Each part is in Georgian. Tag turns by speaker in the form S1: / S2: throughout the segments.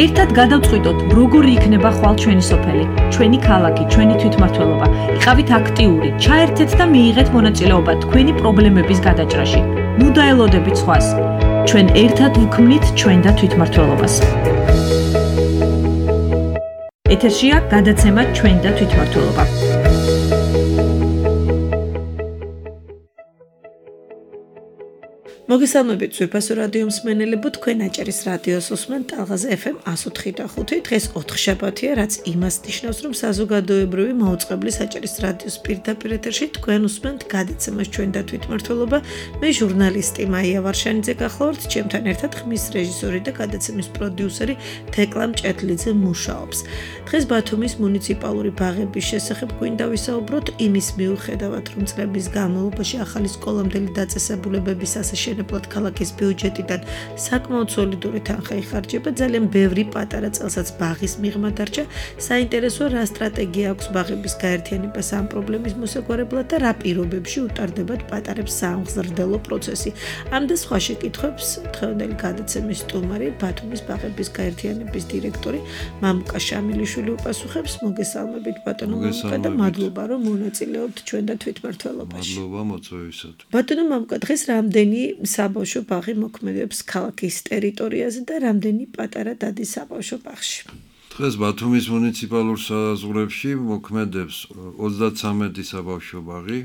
S1: ერთად გადავწყვიტოთ, როგორი იქნება ხვალ ჩვენი სოფელი, ჩვენი ქალაქი, ჩვენი თვითმმართველობა. იყავით აქტიური, ჩაერთეთ და მიიღეთ მონაწილეობა თქვენი პრობლემების გადაჭრაში. ნუ დაელოდებით სხვას. ჩვენ ერთად ვქმნით ჩვენ და თვითმმართველობას. ეთერშია გადაცემა ჩვენ და თვითმმართველობა. მოგესალმებით ძვირფასო რადიო მსმენელებო, თქვენ აჭარის რადიოს უსმენთ ტალღაზე FM 104.5. დღეს 4 შაბათია, რაც იმას ნიშნავს, რომ საზოგადოებრივი მაუწყებლის აჭარის რადიოს პირდაპირ ეთერში თქვენ უსმენთ გადაცემას ჩვენ და თვითმმართველობა. მე ჟურნალისტი მაია ვარშანიძე გახლავართ, ჩემთან ერთად ხმის რეჟისორი და გადაცემის პროდიუსერი თეკლა მჭედლიძე მუშაობს. დღეს ბათუმის მუნიციპალური ბაღების შესახებ გვინდა ვისაუბროთ, იმის მიუხედავად, რომ წლების განმავლობაში ახალი სკოლამდელი დაწესებულებების ასაშენებლად ქალაქის ბიუჯეტიდან საკმაოდ სოლიდური თანხა იხარჯება, ძალიან ბევრი პატარა წელსაც ბაღის მიღმა დარჩა. საინტერესოა, რა სტრატეგია აქვს ბაღების გაერთიანებას ამ პრობლემის მოსაგვარებლად და რა პირობებში უტარდებათ პატარებს საამღზრდელო პროცესი. ამ და სხვა შეკითხვებს დღევანდელი გადაცემის სტუმარი, ბათუმის ბაღების გაერთიანების დირექტორი მამუკა შამილიშვილი უპასუხებს. მოგესალმებით ბატონო მამუკა და მადლობა, რომ მონაწილეობთ ჩვენ და თვითმმართველობაში.
S2: მადლობა მოწვევისათვის.
S1: ბატონო მამუკა, დღეს რამდენი საბავშვო ბაღი მოქმედებს ქალაქის ტერიტორიაზე და რამდენი პატარა დადის საბავშვო ბაღში?
S2: დღეს ბათუმის მუნიციპალურ საზღვრებში მოქმედებს 33 საბავშვო ბაღი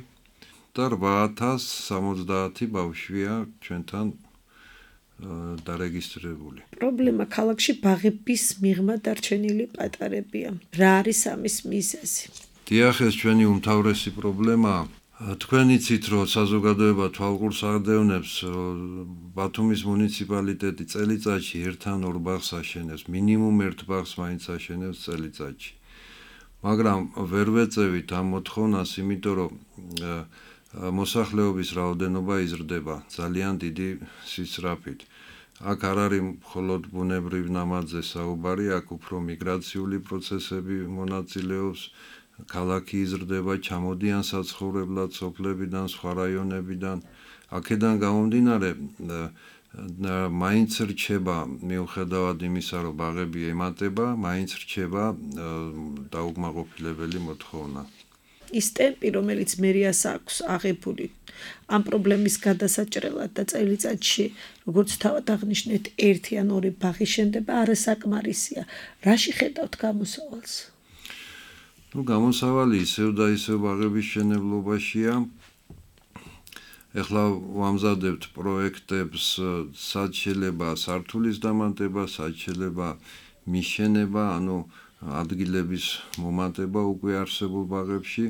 S2: და 8070 ბავშვია ჩვენთან დარეგისტრირებული.
S1: პრობლემა ქალაქში ბაღების მიღმა დარჩენილი პატარებია. რა არის ამის მიზეზი?
S2: დიახ, ეს ჩვენი უმთავრესი პრობლემაა. თქვენ იცით, რომ საზოგადოება თვალყურს აღდევნებს, ბათუმის მუნიციპალიტეტი წელიწადში ერთან ორ ბაღს აშენებს, მინიმუმ ერთ ბაღს მაინც აშენებს წელიწადში. მაგრამ ვერ ვეწევით ამ მოთხოვნას, იმიტომ რომ მოსახლეობის რაოდენობა იზრდება ძალიან დიდი სისწრაფით. აქ არ არის მხოლოდ ბუნებრივ ნამაძე საუბარი, აქ უფრო მიგრაციული პროცესები მონაწილეობს. ქალაქი იზრდება, ჩამოდიან საცხოვრებლად სოფლებიდან, სხვა რაიონებიდან. აქედან გამომდინარე, მაინც რჩება, მიუხედავად იმისა, რომ ბაღები ემატება, მაინც რჩება დაუკმაყოფილებელი მოთხოვნა.
S1: ის ტემპი, რომელიც მერიას აქვს აღებული ამ პრობლემის გადასაჭრელად და წელიწადში, როგორც თავად აღნიშნეთ, ერთი ან ორი ბაღი შენდება, არასაკმარისია. რაში ხედავთ გამოსავალს?
S2: გამოსავალი ისევ და ისევ ბაღების მშენებლობაშია. ეხლა ვამზადებთ პროექტებს, სად შეიძლება სართულის დამატება, სად შეიძლება მიშენება, ანუ ადგილების მომატება უკვე არსებულ ბაღებში.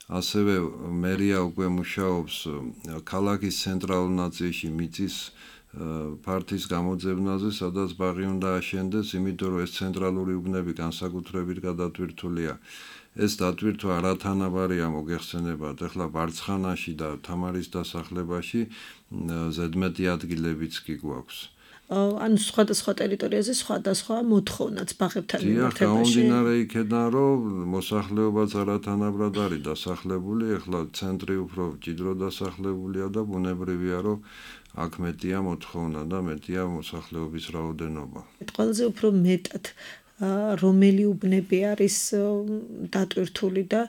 S2: ასევე მერია უკვე მუშაობს ქალაქის ცენტრალურ ნაწილში მიწის ფართის გამოძებნაზე, სადაც ბაღი უნდა აშენდეს, იმიტომ რომ ეს ცენტრალური უბნები განსაკუთრებით გადატვირთულია. ეს დატვირთვა არათანაბარია მოგეხსენებათ, ეხლა ბარცხანაში და თამარის დასახლებაში ზედმეტი ადგილებიც კი გვაქვს.
S1: ანუ სხვადასხვა ტერიტორიაზე სხვადასხვა მოთხოვნაც ბაღებთან მიმართებაში.
S2: გამომდინარე იქედან, რომ მოსახლეობაც არათანაბრად არის დასახლებული, ეხლა ცენტრი უფრო მჭიდრო დასახლებულია და ბუნებრივია, რომ აქ მეტია მოთხოვნა და მეტია მოსახლეობის რაოდენობა.
S1: ყველაზე უფრო მეტად რომელი უბნები არის დატვირთული და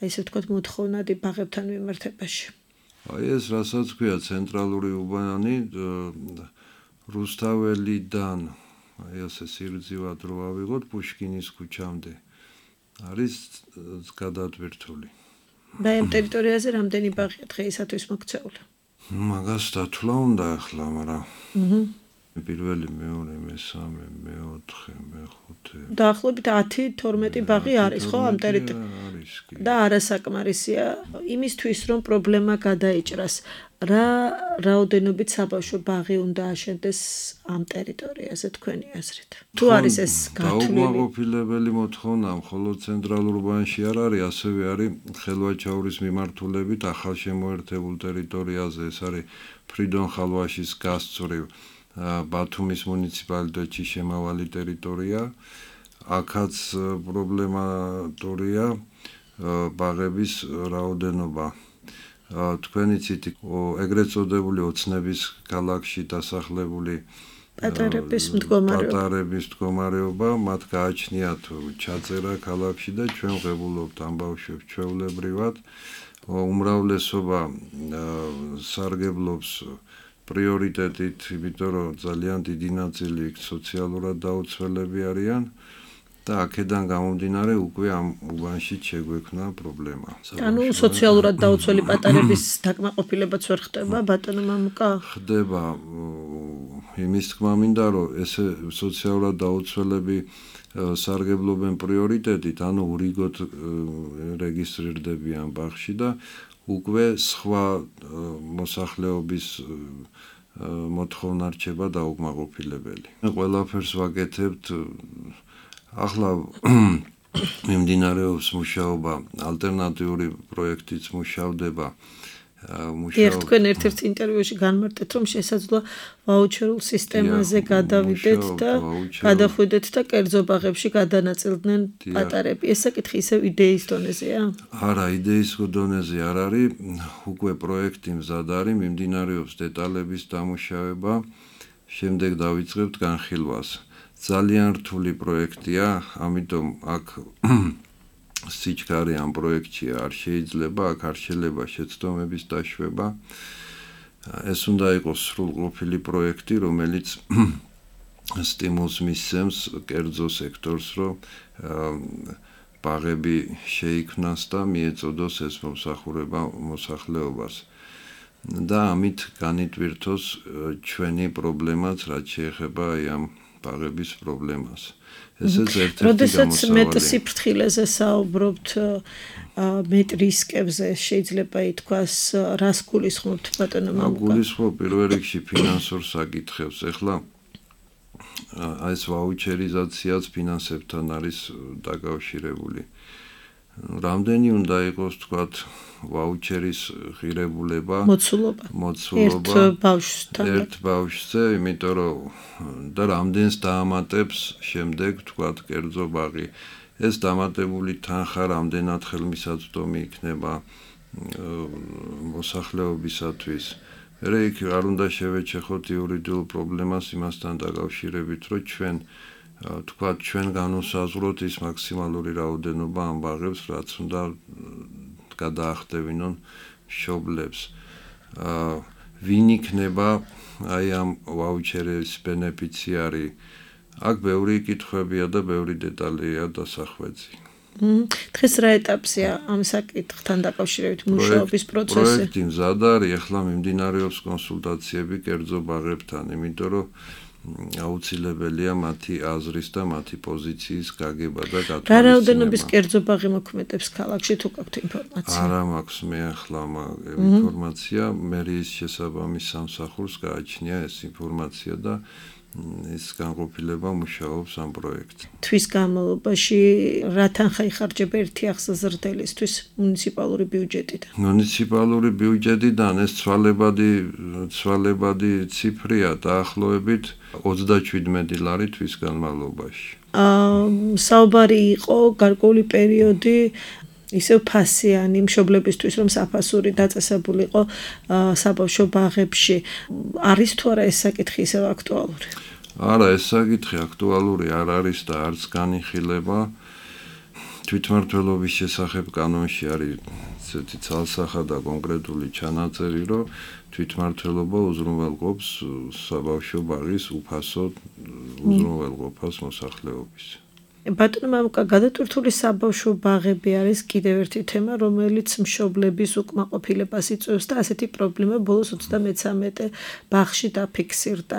S1: ესე ვთქვათ მოთხოვნადი ბაღებთან მიმართებაში?
S2: ეს რასაც ქვია ცენტრალური უბანი რუსთაველიდან, ასე სიგრძივად რო ავიღოთ პუშკინის ქუჩამდე არის გადატვირთული.
S1: და ამ ტერიტორიაზე რამდენი ბაღია დღეისათვის მოქცეული?
S2: მაგას დათვლა უნდა ახლა, მაგრამ პირველი, მეორე, მესამე, მეოთხე, მეხუთე.
S1: დაახლოებით 10-12 ბაღი არის, ხო, ამ ტერიტორიაზე? და არასაკმარისია იმისთვის, რომ პრობლემა გადაიჭრას. რა რაოდენობით საბავშვო ბაღი უნდა აშენდეს ამ ტერიტორიაზე თქვენი აზრით? თუ არის ეს გათვლილი?
S2: დაუკმაყოფილებელი მოთხოვნა მხოლოდ ცენტრალურ უბანში არ არის, ასევე არის ხელვაჩაურის მიმართულებით ახალ შემოერთებულ ტერიტორიაზე, ეს არის ფრიდონ ხალვაშის გასწვრივ ბათუმის მუნიციპალიტეტში შემავალი ტერიტორია. აქაც პრობლემატურია ბაღების რაოდენობა. თქვენ იცით, ეგრეთ წოდებული ოცნების ქალაქში დასახლებული
S1: პატარების
S2: მდგომარეობა, მათ გააჩნიათ ჩაწერა ქალაქში და ჩვენ ვღებულობთ ამ ბავშვებს ჩვეულებრივად. უმრავლესობა სარგებლობს პრიორიტეტით, იმიტომ რომ ძალიან დიდი ნაწილი სოციალურად დაუცველები არიან და აქედან გამომდინარე უკვე ამ უბანში შეგვექნა პრობლემა.
S1: ანუ სოციალურად დაუცველი პატარების დაკმაყოფილებაც ვერ ხდება, ბატონო მამუკა?
S2: ხდება იმის თქმა მინდა, რომ ესე სოციალურად დაუცველები სარგებლობენ პრიორიტეტით, ანუ ურიგოთ რეგისტრირდებიან ბაღში და უკვე სხვა მოსახლეობის მოთხოვნა რჩება დაუკმაყოფილებელი. ყველაფერს ვაკეთებთ. ახლა მიმდინარეობს მუშაობა, ალტერნატიული პროექტიც მუშავდება.
S1: თქვენ ერთ-ერთ ინტერვიუში განმარტეთ, რომ შესაძლოა ვაუჩერულ სისტემაზე გადავიდეთ და გადახვიდეთ და კერძო ბაღებში გადანაწილდნენ პატარები. ეს საკითხი ისევ იდეის დონეზეა?
S2: არა, იდეის დონეზე არ არის, უკვე პროექტი მზად არის, მიმდინარეობს დეტალების დამუშავება, შემდეგ დავიწყებთ განხილვას. ძალიან რთული პროექტია, ამიტომ აქ სიჩქარე ამ პროექტში არ შეიძლება, აქ არ შეიძლება შეცდომების დაშვება. ეს უნდა იყოს სრულყოფილი პროექტი, რომელიც სტიმულს მისცემს კერძო სექტორს, რომ ბაღები შეიქმნას და მიეწოდოს ეს მომსახურება მოსახლეობას. და ამით განიტვირთოს ჩვენი პრობლემაც, რაც შეეხება ამ ბაღების პრობლემას. ესეც ერთ-ერთი
S1: როდესაც მეტ სიფრთხილეზე საუბრობთ, მეტ რისკებზე, შეიძლება ითქვას, რას გულისხმობთ ბატონო მამუკა?
S2: გულისხმობ პირველ რიგში ფინანსურ საკითხებს. ეხლა ეს ვაუჩერიზაციაც ფინანსებთან არის დაკავშირებული. რამდენი უნდა იყოს, თქვათ, ვაუჩერის ღირებულება, მოცულობა ერთ ბავშვზე, იმიტომ რომ და რამდენს დაამატებს შემდეგ, თქვათ, კერძო ბაღი. ეს დამატებული თანხა რამდენად ხელმისაწვდომი იქნება მოსახლეობისათვის. იქ არ უნდა შევეჩეხოთ იურიდიულ პრობლემას იმასთან დაკავშირებით, რომ ჩვენ განვსაზღვროთ ის მაქსიმალური რაოდენობა ამ ბაღებს, რაც უნდა გადაახტევინონ მშობლებს. ვინ იქნება აი ამ ვაუჩერის ბენეფიციარი? აქ ბევრი კითხვებია და ბევრი დეტალია დასახვეცი.
S1: დღეს რა ეტაპზეა ამ საკითხთან დაკავშირებით მუშაობის პროცესი?
S2: პროექტი მზად არის, ახლა მიმდინარეობს კონსულტაციები კერძო ბაღებთან, იმიტომ რომ აუცილებელია მათი აზრის და მათი პოზიციის გაგება და გათვალისწინება.
S1: რა რაოდენობის კერძო ბაღი მოქმედებს ქალაქში, თუ გაქვთ ინფორმაცია?
S2: არა მაქვს მე ახლა ინფორმაცია, მერიის შესაბამის სამსახურს გააჩნია ეს ინფორმაცია და ის განყოფილება მუშაობს ამ პროექტზე.
S1: თვის განმავლობაში რა თანხა იხარჯება ერთი ახსაზრდელისთვის მუნიციპალური ბიუჯეტიდან?
S2: მუნიციპალური ბიუჯეტიდან ეს ცვალებადი ციფრია, დაახლოებით 37 ლარი თვის განმავლობაში.
S1: საუბარი იყო გარკვეული პერიოდი ისევ ფასიანი მშობლებისთვის, რომ საფასური დაწესებულიყო საბავშვო ბაღებში. არის თუ არა ეს საკითხი ისევ აქტუალური?
S2: არა, ეს საკითხი აქტუალური არ არის და არც განიხილება. თვითმმართველობის შესახებ კანონში არის ესეთი ცალსახა და კონკრეტული ჩანაწერი, რომ თვითმმართველობა უზრუნველყოფს საბავშვო ბაღის უფასო უზრუნველყოფას მოსახლეობის.
S1: ბატონო მამუკა, გადატვირთული საბავშვო ბაღები არის კიდევ ერთი თემა, რომელიც მშობლების უკმაყოფილებას იწვევს და ასეთი პრობლემა ბოლოს 33 ბაღში დაფიქსირდა.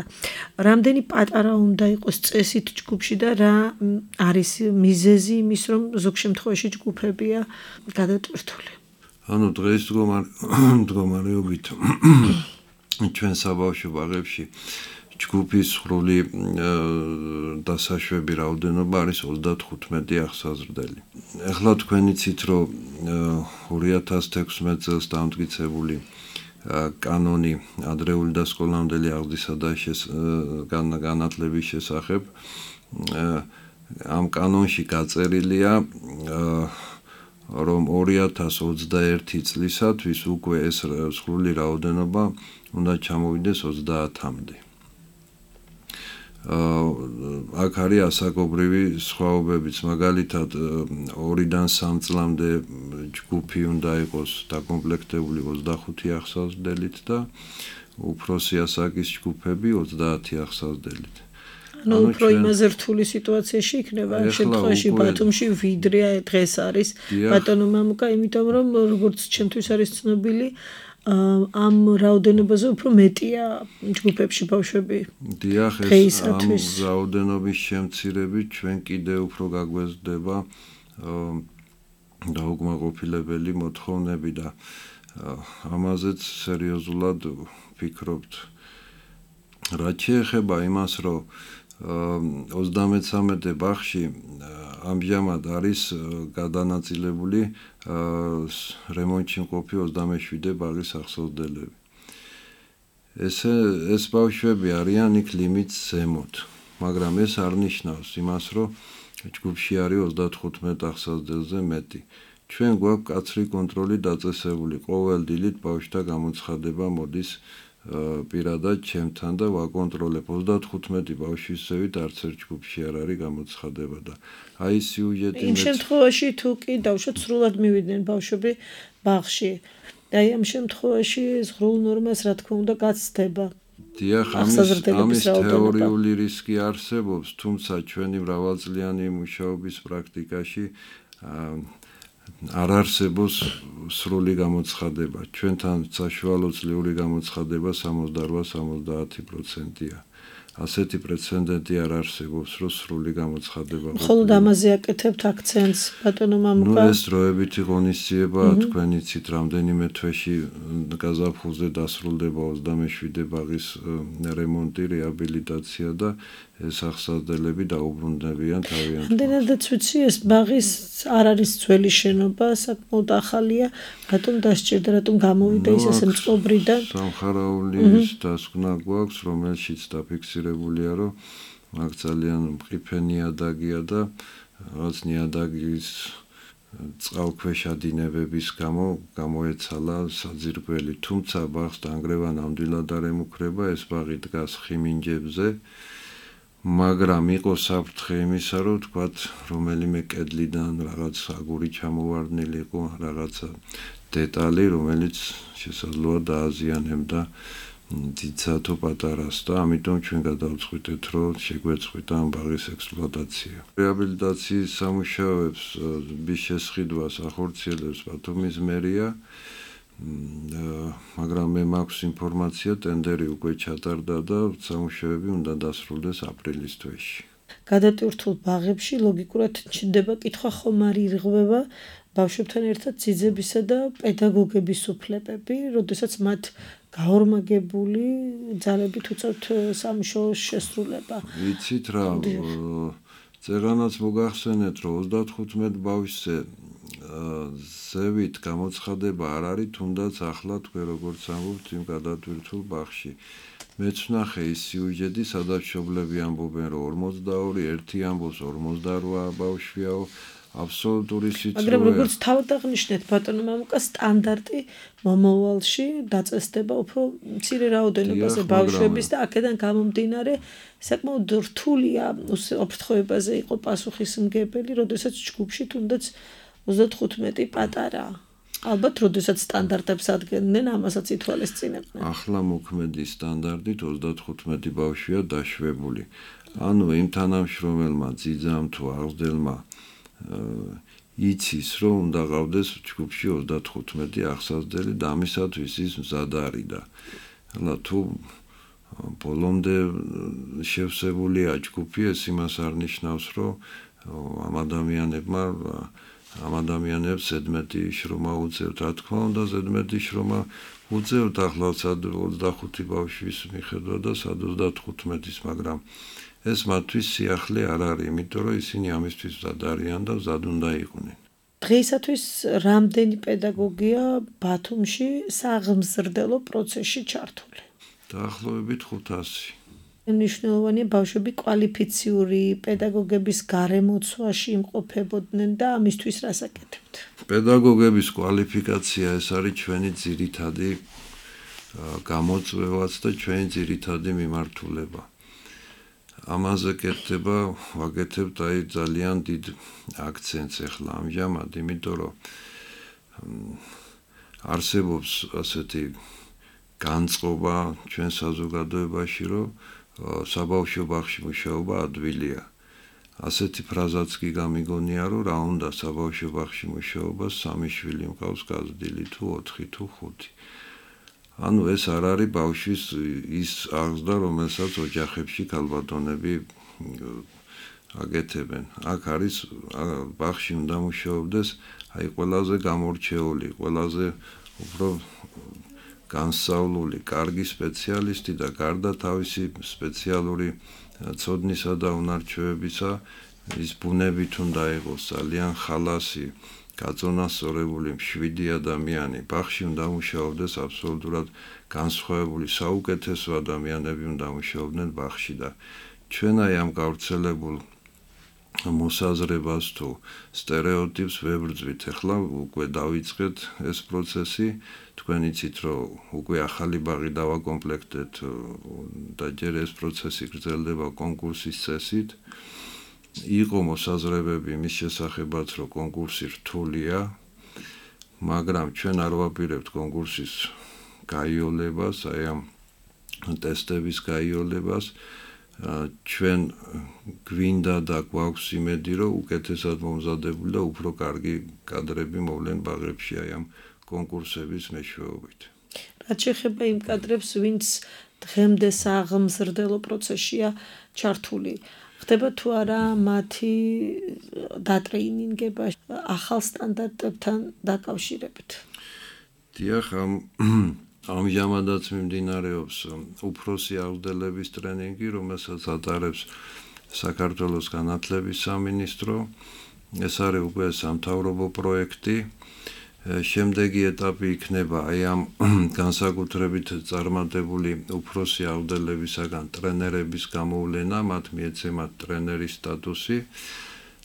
S1: რამდენი პატარა უნდა იყოს წესით ჯგუფში და რა არის მიზეზი იმის, რომ ზოგ შემთხვევაში ჯგუფებია გადატვირთული?
S2: ანუ დღეს მდგომარეობით ჩვენ საბავშვო ბაღებში ჯგუფის სრული დასაშვები რაოდენობა არის 35 ახსაზრდელი. ახლა თქვენ იცით, რომ 2016 წელს დამტკიცებული კანონი ადრეული და სკოლამდელი აღზრდისა და განათლების შესახებ ამ კანონში გაწერილია, რომ 2021 წლისათვის უკვე ეს სრული რაოდენობა უნდა ჩამოვიდეს 30-მდე. აქ არის ასაკობრივი სხვაობებიც, მაგალითად 2-დან 3 წლამდე ჯგუფი უნდა იყოს დაკომპლექტებული 25 აღსავსმდელით და უფროსი ასაკის ჯგუფები 30 აღსავსმდელით.
S1: ანუ უფრო იმაზე რთული სიტუაციაში იქნება ამ შემთხვევაში ბათუმში ვიდრე დღეს არის ბატონო მამუკა, იმიტომ რომ როგორც ჩემთვის არის ცნობილი ამ რაოდენობაზე უფრო მეტია ჯგუფებში ბავშვები.
S2: დიახ, ეს ამ რაოდენობის შემცირებით ჩვენ კიდევ უფრო გაგვეზრდება დაუკმაყოფილებელი მოთხოვნები და ამაზეც სერიოზულად ვფიქრობთ. რაც შეეხება იმას, რომ 33 ბაღში ამჟამად არის გადანაწილებული რემონტში მყოფი 27 ბაღის აღსავსმდელები. ეს ბავშვები არიან იქ ლიმიტს ზემოთ, მაგრამ ეს არ ნიშნავს იმას, რომ ჯგუფში არის 35 აღსავსმდელზე მეტი. ჩვენ გვაქვს მკაცრი კონტროლი დაწესებული, ყოველ დილით ბავშვთა გამოცხადება მოდის პირადად ჩემთან და ვაკონტროლებ 35 ბავშვის ზევით არც ერთ ჯგუფში არ არის გამოცხადება და აი სიუჟეტი
S1: იმ შემთხვევაში თუ კი დავუშვათ სრულად მივიდნენ ბავშვები ბაღში და აი ამ შემთხვევაში ზღრულ ნორმას რა თქმა უნდა გაცდება.
S2: დიახ, ამის თეორიული რისკი არსებობს, თუმცა ჩვენი მრავალწლიანი მუშაობის პრაქტიკაში არ არსებობს სრული გამოცხადება. ჩვენთან საშუალო წლიური გამოცხადება 68-70%-ია. ასეთი პრეცედენტი არ არსებობს, რომ სრული გამოცხადება.
S1: მხოლოდ ამაზე აკეთებთ აქცენტს, ბატონო მამუკა.
S2: ეს დროებითი ღონისძიება, თქვენ იცით, რამდენიმე თვეში გაზაფხულზე დასრულდება 27 ბაღის რემონტი, რეაბილიტაცია და ეს აღსავსმდელები დაუბრუნდებიან თავიანთ.
S1: რამდენადაც ვიცი, ეს ბაღის არ არის ძველი შენობა, საკმაოდ ახალია, რატომ დასჭირდა, რატომ გამოვიდა ის ასე მწყობრიდან?
S2: სამხარაულის დასკვნა გვაქვს, რომელშიც დაფიქსირებულია, რომ აქ ძალიან მყიფე ნიადაგია და რაღაც ნიადაგის წყალქვეშა დინებების გამო გამოეცალა საძირკველი. თუმცა ბაღს დანგრევა ნამდვილად არ ემუქრება, ეს ბაღი დგას ხიმინჯებზე. მაგრამ იყო საფრთხე იმისა, რომ თქვათ, რომელიმე კედლიდან რაღაც აგური ჩამოვარდნილი იყო, რაღაცა დეტალი, რომელიც შესაძლოა დააზიანებდა დიდსათო პატარას და ამიტომ ჩვენ გადავწყვიტეთ, რომ შეგვეწყვიტა ამ ბაღის ექსპლუატაცია. რეაბილიტაციის სამუშაოებს შესყიდვას ახორციელებს ბათუმის მერია, მაგრამ მე მაქვს ინფორმაცია, ტენდერი უკვე ჩატარდა და სამუშაოები უნდა დასრულდეს აპრილის თვეში.
S1: გადატვირთულ ბაღებში ლოგიკურად ჩნდება კითხვა, ხომ არ ირღვევა ბავშვებთან ერთად ძიძებისა და პედაგოგების უფლებები, როდესაც მათ გაორმაგებული ძალებით უწევთ სამუშაოს შესრულება.
S2: ვიცით რა, წეღანაც მოგახსენეთ, რომ 35 ბავშვზე ზევით გამოცხადება არ არის, თუნდაც ახლა თქვენ როგორც ამბობთ იმ გადატვირთულ ბაღში. მეც ვნახე ის სიუჟეტი, სადაც მშობლები ამბობენ, რომ 42, ერთი ამბობს 48 ბავშვიაო, აბსოლუტური სიცრუე.
S1: მაგრამ როგორც თავად აღნიშნეთ, ბატონო მამუკა, სტანდარტი მომავალში დაწესდება უფრო მცირე რაოდენობაზე ბავშვების და აქედან გამომდინარე საკმაოდ რთულია ოფრთხოებაზე იყო პასუხისმგებელი, როდესაც ჯგუფში თუნდაც 35 პატარა. ალბათ, როდესაც სტანდარტებს ადგენდნენ, ამასაც ითვალისწინებდნენ.
S2: ახლა მოქმედი სტანდარტით 35 ბავშვია დაშვებული. ანუ იმ თანამშრომელმა ძიძამ თუ აღზრდელმა იცის, რომ უნდა ყავდეს ჯგუფში 35 აღსავსმდელი და ამისათვის ის მზად არის და ახლა თუ ბოლომდე შევსებულია ჯგუფი, ეს იმას არ ნიშნავს, რომ ამ ადამიანებს ზედმეტი შრომა უწევთ. რა თქმა უნდა, ზედმეტი შრომა უწევთ, ახლა სად 25 ბავშვის მიხედვა და სად 35-ის, მაგრამ ეს მათთვის სიახლე არ არის, იმიტომ რომ ისინი ამისთვის მზად არიან და მზად უნდა იყვნენ.
S1: დღეისათვის რამდენი პედაგოგია ბათუმში საღმზრდელო პროცესში ჩართული?
S2: დაახლოებით 500.
S1: მნიშვნელოვანია ბავშვები კვალიფიციური პედაგოგების გარემოცვაში იმყოფებოდნენ და ამისთვის რას აკეთებთ?
S2: პედაგოგების კვალიფიკაცია ეს არის ჩვენი ძირითადი გამოწვევაც და ჩვენი ძირითადი მიმართულება. ამაზე კეთდება ვაკეთებთ აი ძალიან დიდ აქცენტს ახლა ამჟამად, იმიტომ რომ არსებობს ასეთი განწყობა ჩვენ საზოგადოებაში, რომ საბავშვო ბაღში მუშაობა ადვილია. ასეთი ფრაზაც კი გამიგონია, რომ რა უნდა საბავშვო ბაღში მუშაობას 3 შვილი მყავს გაზრდილი თუ 4 თუ 5. ანუ ეს არ არის ბავშვის ის აღზრდა, რომელსაც ოჯახებში ქალბატონები აკეთებენ. აქ არის ბაღში უნდა მუშაობდეს აი ყველაზე გამორჩეული, ყველაზე უფრო განსწავლული, კარგი სპეციალისტი და გარდა თავისი სპეციალური ცოდნისა და უნარჩვევებისა, ის ბუნებით უნდა იყოს ძალიან ხალასი, გაწონასწორებული, მშვიდი ადამიანი. ბაღში უნდა მუშაობდეს აბსოლუტურად განსხვავებული, საუკეთესო ადამიანები უნდა მუშაობდნენ ბაღში და ჩვენ აი ამ გავრცელებულ მოსაზრებას თუ სტერეოტიპს ვებრძვით. ახლა უკვე დავიწყეთ ეს პროცესი. თქვენ იცით, რომ უკვე ახალი ბაღი დავაკომპლექტეთ და ჯერ ეს პროცესი გრძელდება კონკურსის წესით. იყო მოსაზრებები მის შესახებაც, რომ კონკურსი რთულია, მაგრამ ჩვენ არ ვაპირებთ კონკურსის გაიოლებას, აი ამ ტესტების გაიოლებას. ჩვენ გვინდა და გვაქვს იმედი, რომ უკეთესად მომზადებული და უფრო კარგი კადრები მოვლენ ბაღებში აი ამ კონკურსების მეშვეობით.
S1: რაც შეეხება იმ კადრებს, ვინც დღემდე საღმზრდელო პროცესშია ჩართული, ხდება თუ არა მათი დატრეინინგება ახალ სტანდარტებთან დაკავშირებით?
S2: დიახ, ამჟამადაც მიმდინარეობს უფროსი აღზრდელების ტრენინგი, რომელსაც ატარებს საქართველოს განათლების სამინისტრო. ეს არის უკვე სამთავრობო პროექტი. შემდეგი ეტაპი იქნება აი ამ განსაკუთრებით წარმატებული უფროსი აღზრდებისაგან ტრენერების გამოვლენა, მათ მიეცემათ ტრენერის სტატუსი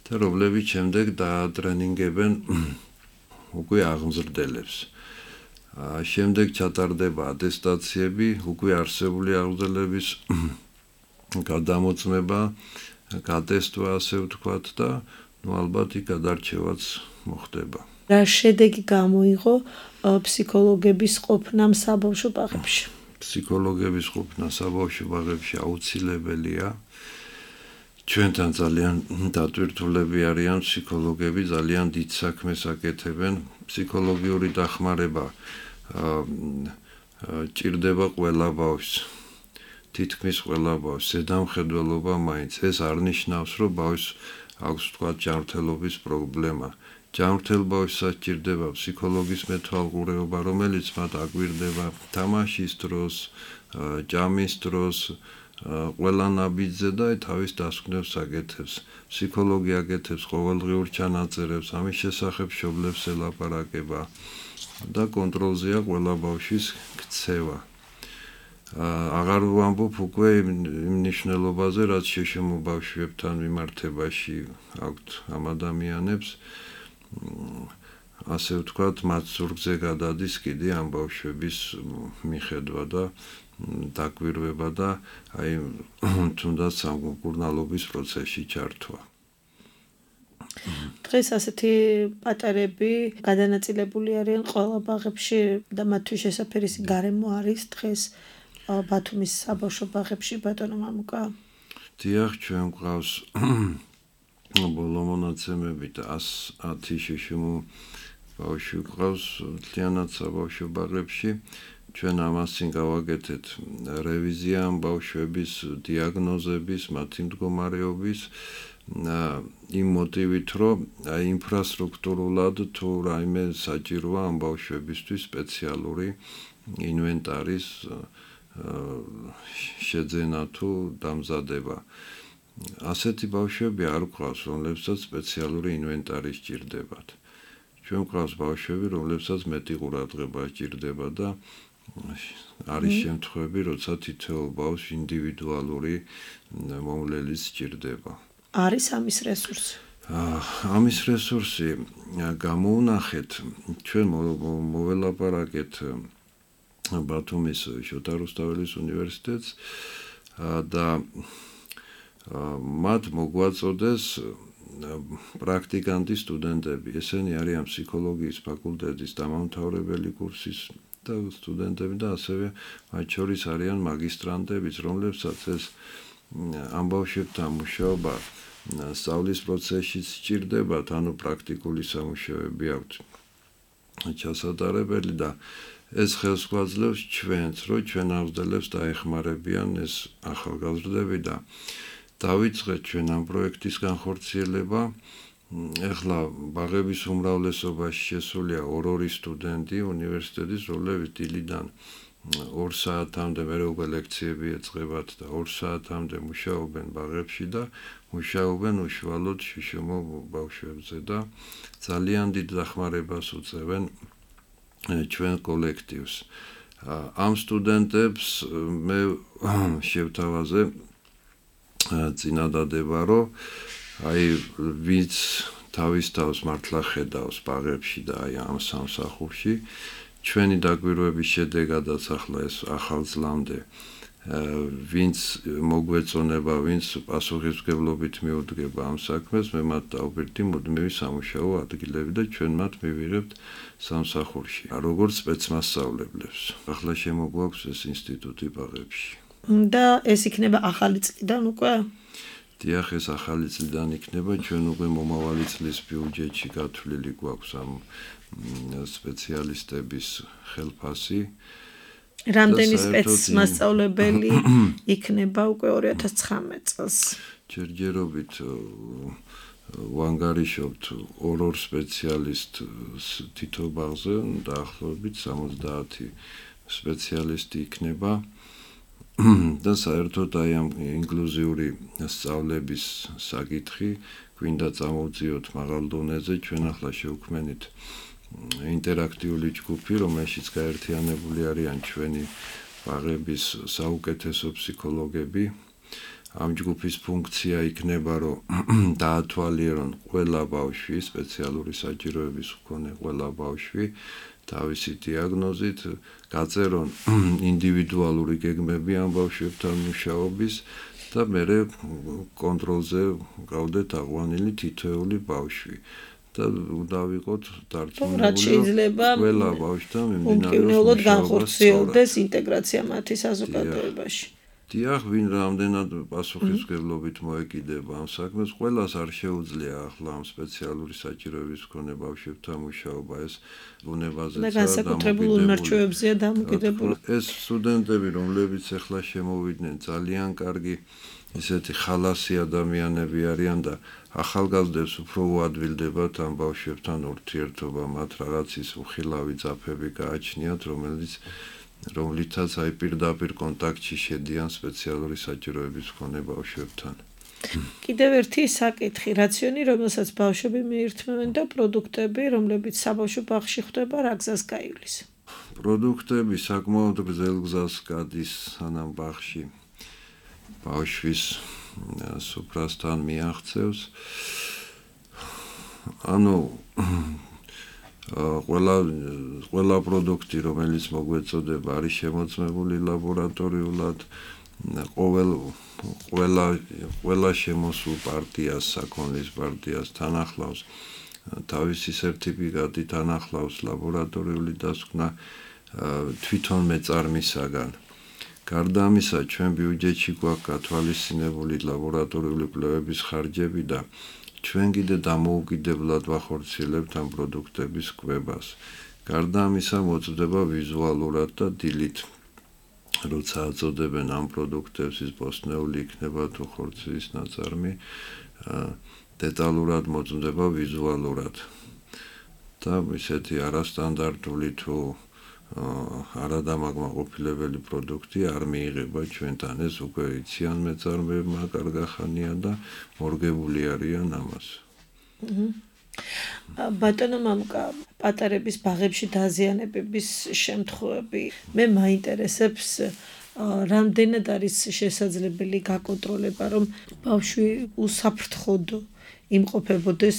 S2: და რომლებიც შემდეგ დაატრენინგებენ უკვე აღზრდელებს. შემდეგ ჩატარდება ატესტაციები, უკვე არსებული აღზრდელების გადამოწმება, გატესტვა, ასე ვთქვათ და ალბათ იქ გადარჩევაც მოხდება.
S1: რა შედეგი გამოიღო ფსიქოლოგების ყოფნამ საბავშვო ბაღებში?
S2: ფსიქოლოგების ყოფნა საბავშვო ბაღებში აუცილებელია. ჩვენთან ძალიან დატვირთულები არიან ფსიქოლოგები, ძალიან დიდ საქმეს აკეთებენ. ფსიქოლოგიური დახმარება ჭირდება ყველა ბავშვს. თითქმის ყველა ბავშვს ზედამხედველობა მაინც. ეს არ ნიშნავს, რომ ბავშვს აქვს თქვა ჯანმრთელობის პრობლემა. ჯანმრთელ ბავშვსაც ჭირდება ფსიქოლოგის მეთვალყურეობა, რომელიც მათ აკვირდება თამაშის დროს, ჭამის დროს, ყველა ნაბიჯზე და თავის დასკვნებს აკეთებს. ფსიქოლოგი აკეთებს ყოველდღიურ ჩანაწერებს, ამის შესახებ მშობლებს ელაპარაკება და კონტროლზეა ყველა ბავშვის ქცევა. აღარ ვამბობ უკვე იმ მნიშვნელობაზე, რაც შეშემო ბავშვებთან მიმართებაში აქვთ ამ ადამიანებს. ასე ვთქვათ, მათ ზურგზე გადადის კიდე ამ ბავშვების მიხედვა და დაკვირვება და აი თუნდაც სამკურნალობის პროცესში ჩართვა.
S1: დღეს ასეთი პატარები გადანაწილებული არიან ყველა ბაღებში და მათთვის შესაფერისი გარემო არის დღეს ბათუმის საბავშვო ბაღებში, ბატონო მამუკა?
S2: დიახ, ჩვენ გვყავს ბოლო მონაცემებით 110 შეშემო ბავშვი გვყავს მთლიანად საბავშვო ბაღებში. ჩვენ ამას წინ გავაკეთეთ რევიზია ამ ბავშვების დიაგნოზების, მათი მდგომარეობის იმ მოტივით, რომ აი ინფრასტრუქტურულად თუ რაიმე საჭიროა ამ ბავშვებისთვის სპეციალური ინვენტარის შეძენა თუ დამზადება. ასეთი ბავშვები არ გვყავს, რომლებსაც სპეციალური ინვენტარი სჭირდებათ. ჩვენ გვყავს ბავშვები, რომლებსაც მეტი ყურადღება სჭირდება და არის შემთხვევები, როცა თითოეულ ბავშვს ინდივიდუალური მომვლელის სჭირდება.
S1: არის ამის რესურსი?
S2: ამის რესურსი გამოუნახეთ, ჩვენ მოველაპარაკეთ ბათუმის შოთა რუსთაველის უნივერსიტეტს და მათ მოგვაწოდეს პრაქტიკანტი სტუდენტები. ესენი არიან ფსიქოლოგიის ფაკულტეტის დამამთავრებელი კურსის და სტუდენტები და ასევე მათ შორის არიან მაგისტრანტებიც, რომლებსაც ეს ამ ბავშვებთან მუშაობა სწავლის პროცესში სჭირდებათ, ანუ პრაქტიკული სამუშაოები აქვთ ჩასატარებელი და ეს ხელს გვაძლევს ჩვენს, რომ ჩვენ აღზრდელებს დაეხმარებიან ეს ახალგაზრდები და დავიწყეთ ჩვენ ამ პროექტის განხორციელება. ეხლა ბაღების უმრავლესობაში შესულია 2 სტუდენტი უნივერსიტეტის, რომლებიც დილიდან 2 საათამდე მე უკვე ლექციები ეწყებათ და 2 საათამდე მუშაობენ ბაღებში და მუშაობენ უშუალოდ შიშომო ბავშვებზე და ძალიან დიდ დახმარებას უწევენ ჩვენ კოლექტივს. ამ სტუდენტებს მე შევთავაზე წინადადება, რომ აი ვინც თავის თავს მართლა ხედავს ბაღებში და აი ამ სამსახურში ჩვენი დაკვირვების შედეგადაც ახლა ეს ახალწლამდე ვინც მოგვეწონება, ვინც პასუხისმგებლობით მიუდგება ამ საქმეს, მე მათ დავბირდი მუდმივი სამუშაო ადგილები და ჩვენ მათ მივიღებთ სამსახურში, როგორც სპეცმასწავლებლებს. ახლა შემოგვაქვს ეს ინსტიტუტი ბაღებში.
S1: და ეს იქნება ახალი წლიდან უკვე?
S2: დიახ, ეს ახალი წლიდან იქნება, ჩვენ უკვე მომავალი წლის ბიუჯეტში გათვლილი გვაქვს ამ სპეციალისტების ხელფასი.
S1: რამდენი სპეცმასწავლებელი იქნება უკვე 2019 წელს?
S2: ჯერჯერობით ვანგარიშობთ 2 სპეციალისტს თითო ბაღზე, დაახლოებით 70 სპეციალისტი იქნება. და საერთოდ აი ამ ინკლუზიური სწავლების საკითხი გვინდა წამოვწიოთ მაღალ დონეზე. ჩვენ ახლა შევქმნით ინტერაქტიული ჯგუფი, რომელშიც გაერთიანებული არიან ჩვენი ბაღების საუკეთესო ფსიქოლოგები. ამ ჯგუფის ფუნქცია იქნება, რომ დაათვალიერონ ყველა ბავშვი, სპეციალური საჭიროების მქონე ყველა ბავშვი თავისი დიაგნოზით, გაწერონ ინდივიდუალური გეგმები ამ ბავშვებთან მუშაობის და მერე კონტროლზე გავდეთ აღვანილი თითოეული ბავშვი და დავიყოთ დარწმუნებული, ყველა ბავშვთან
S1: მიმდინარეობს განხორციელდეს ინტეგრაცია მათი საზოგადოებაში.
S2: დიახ, ვინ რამდენად პასუხისმგებლობით მოეკიდება ამ საქმეს, ყველას არ შეუძლია ახლა ამ სპეციალური საჭიროების მქონე ბავშვებთან მუშაობა, ეს ბუნებაზეა
S1: და განსაკუთრებულ უნარჩვევებზეა დამოკიდებული.
S2: ეს სტუდენტები, რომლებიც ახლა შემოვიდნენ, ძალიან კარგი ისეთი ხალასი ადამიანები არიან და ახალგაზრდებს უფრო უადვილდებათ ამ ბავშვებთან ურთიერთობა, მათ რაღაც ის უხილავი ძაფები გააჩნიათ, რომლითაც აი პირდაპირ კონტაქტში შედიან სპეციალური საჭიროების მქონე ბავშვებთან.
S1: კიდევ ერთი საკითხი, რაციონი, რომელსაც ბავშვები მიირთმევენ და პროდუქტები, რომლებიც საბავშვო ბაღში ხდება, რა გზას გაივლის?
S2: პროდუქტები საკმაოდ გრძელ გზას გადის, სანამ ბაღში ბავშვის სუფრასთან მიაღწევს. ანუ ყველა პროდუქტი, რომელიც მოგვეწოდება, არის შემოწმებული ლაბორატორიულად. ყველა შემოსულ პარტიას, საქონლის პარტიას თან ახლავს თავისი სერტიფიკატი, თან ახლავს ლაბორატორიული დასკვნა თვითონ მეწარმისაგან. გარდა ამისა, ჩვენ ბიუჯეტში გვაქვს გათვალისწინებული ლაბორატორიული კვლევების ხარჯები და ჩვენ კიდე დამოუკიდებლად ვახორციელებთ ამ პროდუქტების კვებას. გარდა ამისა, მოწდება ვიზუალურად და დილით, როცა აწოდებენ ამ პროდუქტებს, ის ბოსტნეული იქნება თუ ხორცის ნაწარმი, დეტალურად მოწდება ვიზუალურად. და ისეთი არასტანდარტული თუ არადამაკმაყოფილებელი პროდუქტი არ მიიღება ჩვენთან. ეს უკვე იციან მეწარმეებმა კარგახანია და მორგებული არიან ამას.
S1: ბატონო მამუკა, პატარების ბაღებში დაზიანებების შემთხვევები მე მაინტერესებს, რამდენად არის შესაძლებელი გაკონტროლება, რომ ბავშვი უსაფრთხოდ იმყოფებოდეს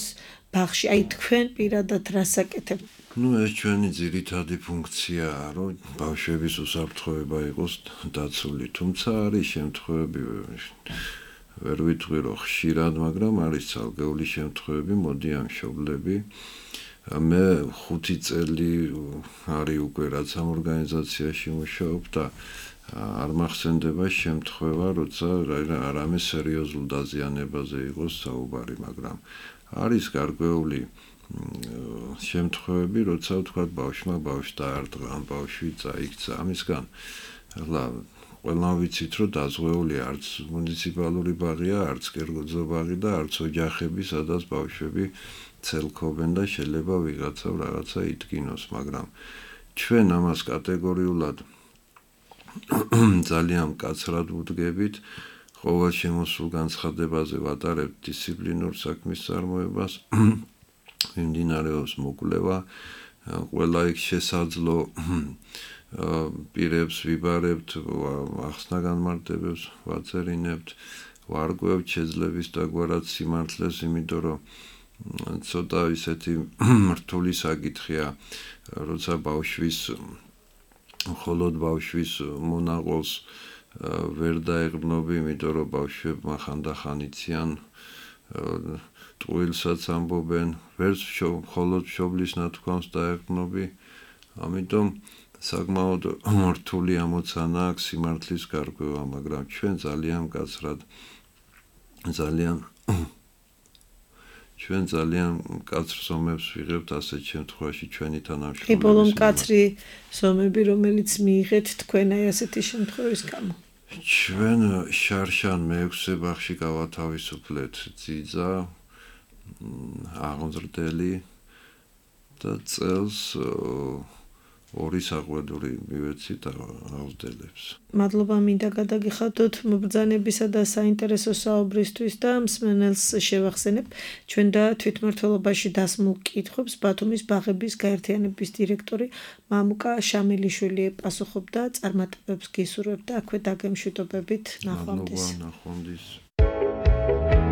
S1: ბაღში, აი თქვენ პირადად რას აკეთებთ?
S2: ეს ჩვენი ძირითადი ფუნქციაა, რომ ბავშვების უსაფრთხოება იყოს დაცული, თუმცა არის შემთხვევები, ვერ ვიტყვი რომ ხშირად, მაგრამ არის ცალკეული შემთხვევები, მოდი ამ მშობლები მე 5 წელი არის უკვე რაც ამ ორგანიზაციაში მუშაობ და არ მახსენდება შემთხვევა, როცა რამე სერიოზულ დაზიანებაზე იყოს საუბარი, მაგრამ არის გარკვეული შემთხვევები, როცა ვთქვათ ბავშვმა ბავშვი დაარტყა, ან ბავშვი წაიქცა, ამისგან ახლა ყველამ ვიცით, რომ დაზღვეული არც მუნიციპალური ბაღია, არც კერგოძო ბაღი და არც ოჯახები, სადაც ბავშვები ცელქობენ და შეიძლება ვიღაცა რაღაცა იტკინოს, მაგრამ ჩვენ ამას კატეგორიულად ძალიან მკაცრად ვუდგებით, ყოველ შემოსულ განცხადებაზე ვატარებთ დისციპლინურ საქმის წარმოებას, მიმდინარეობს მოკვლევა, ყველა იქ შესაძლო პირებს ვიბარებთ, ახსნა-განმარტებებს ვაწერინებთ, ვარკვევთ შეძლების დაგვარად სიმართლეს, იმიტომ რომ ცოტა ისეთი რთული საკითხია, როცა ბავშვის მხოლოდ ბავშვის მონაყოლს ვერ დაეღრმნობი, იმიტომ რომ ბავშვებმა ხანდახან იციან ტყუილსაც ამბობენ, ვერც მხოლოდ მშობლის ნათქვამს დაეღრმნობი, ამიტომ საკმაოდ რთული ამოცანა აქვს სიმართლის გარკვევა, მაგრამ ჩვენ ძალიან მკაცრად მკაცრ ზომებს ვიღებთ ასეთ შემთხვევაში ჩვენი თანამშრომლების.
S1: კი, ბოლო მკაცრი ზომები, რომელიც მიიღეთ თქვენ აი ასეთი შემთხვევის გამო.
S2: ჩვენ შარშან მე-6 ბაღში გავათავისუფლეთ ძიძა, აღმზრდელი და წელს 2 საყვედური მივეცით აღმზრდელებს.
S1: მადლობა მინდა გადაგიხადოთ მობრძანებისა და საინტერესო საუბრისთვის და მსმენელს შევახსენებ ჩვენ და თვითმმართველობაში დასმულ კითხვებს ბათუმის ბაღების გაერთიანების დირექტორი მამუკა შამილიშვილი პასუხობდა, წარმატებებს გისურვებთ და აქვე დაგემშვიდობებით, ნახვამდის.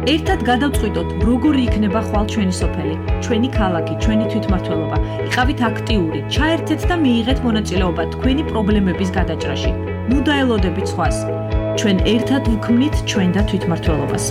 S3: ერთად გადავწყვიტოთ, როგორი იქნება ხვალ ჩვენი სოფელი, ჩვენი ქალაქი, ჩვენი თვითმმართველობა. იყავით აქტიური, ჩაერთეთ და მიიღეთ მონაწილეობა თქვენი პრობლემების გადაჭრაში. ნუ დაელოდებით სხვას. ჩვენ ერთად ვქმნით ჩვენ და თვითმმართველობას.